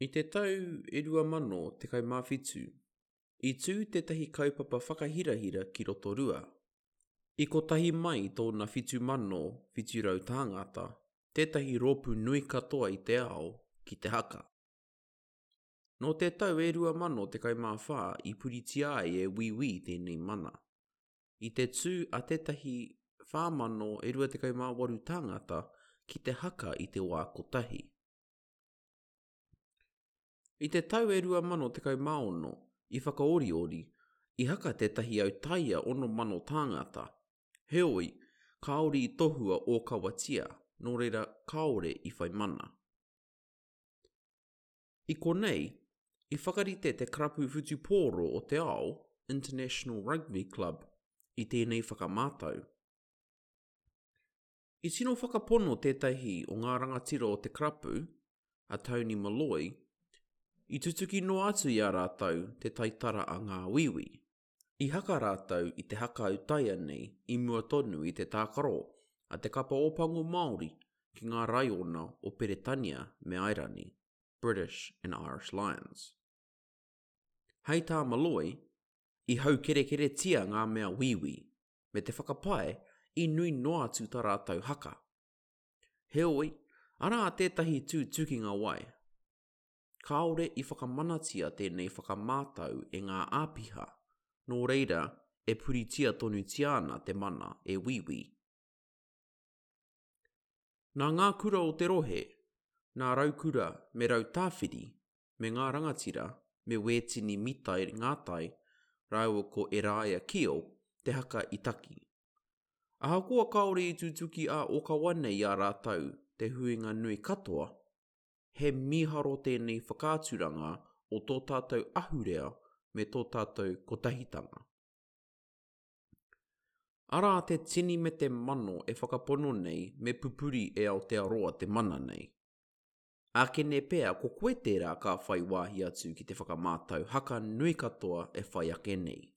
I te tau e 2017, i tū tētahi kaupapa whakahirahira ki Rotorua. I kotahi mai tōna 7,700 tāngata, tētahi rōpū nui katoa i te ao, ki te haka. Nō te tau e 2014 i puritia ai e Wīwī tēnei mana. I te tū a tētahi 4,028 tāngata ki te haka i te wā kotahi. I te tau e 2016, i Whakaoriori, i haka tētahi autaia 6,000 tāngata, heoi, kāore i tohua ōkawatia, nō reira kāore i whai mana. I konei, i whakarite te Karapu Whutupōro o te Ao, International Rugby Club, i tēnei whakamātau. I tino whakapono tētahi o ngā rangatira o te karapu, a Tony Molloy, i tutuki noa atu i a rātou te taitara a ngā Wīwī. I haka rātou i te haka autaia nei i mua tonu i te tākaro a te kapa Ōpango Māori ki ngā raiona o Peretania me Airani, British and Irish Lions. Hei tā Molloy, i haukerekeretia ngā mea Wīwī, me te whakapae i nui noa atu tā rātou haka. Heoi, arā tētahi tūtukinga wai. Kāore i whakamanatia tēnei whakamātau e ngā āpiha, nō reira e puritia tonutia ana te mana e Wīwī. Nā ngā kura o te rohe, nā Raukura me Rautāwhiri, me ngā rangatira, me Wētini Mitai Ngātai rāua ko Eraia Kio te haka i taki. Ahakoa kāore i tutuki ā-ōkawa nei i a rātou te huinga nui katoa, he mīharo tēnei whakaaturanga o tō tātou ahurea me tō tātou kotahitanga. Arā te tini me te mano e whakapono nei me pupuri e Aotearoa te mana nei. Ākene pea ko koe tērā ka whai wāhi atu ki te whakamātau haka nui katoa e whai ake nei.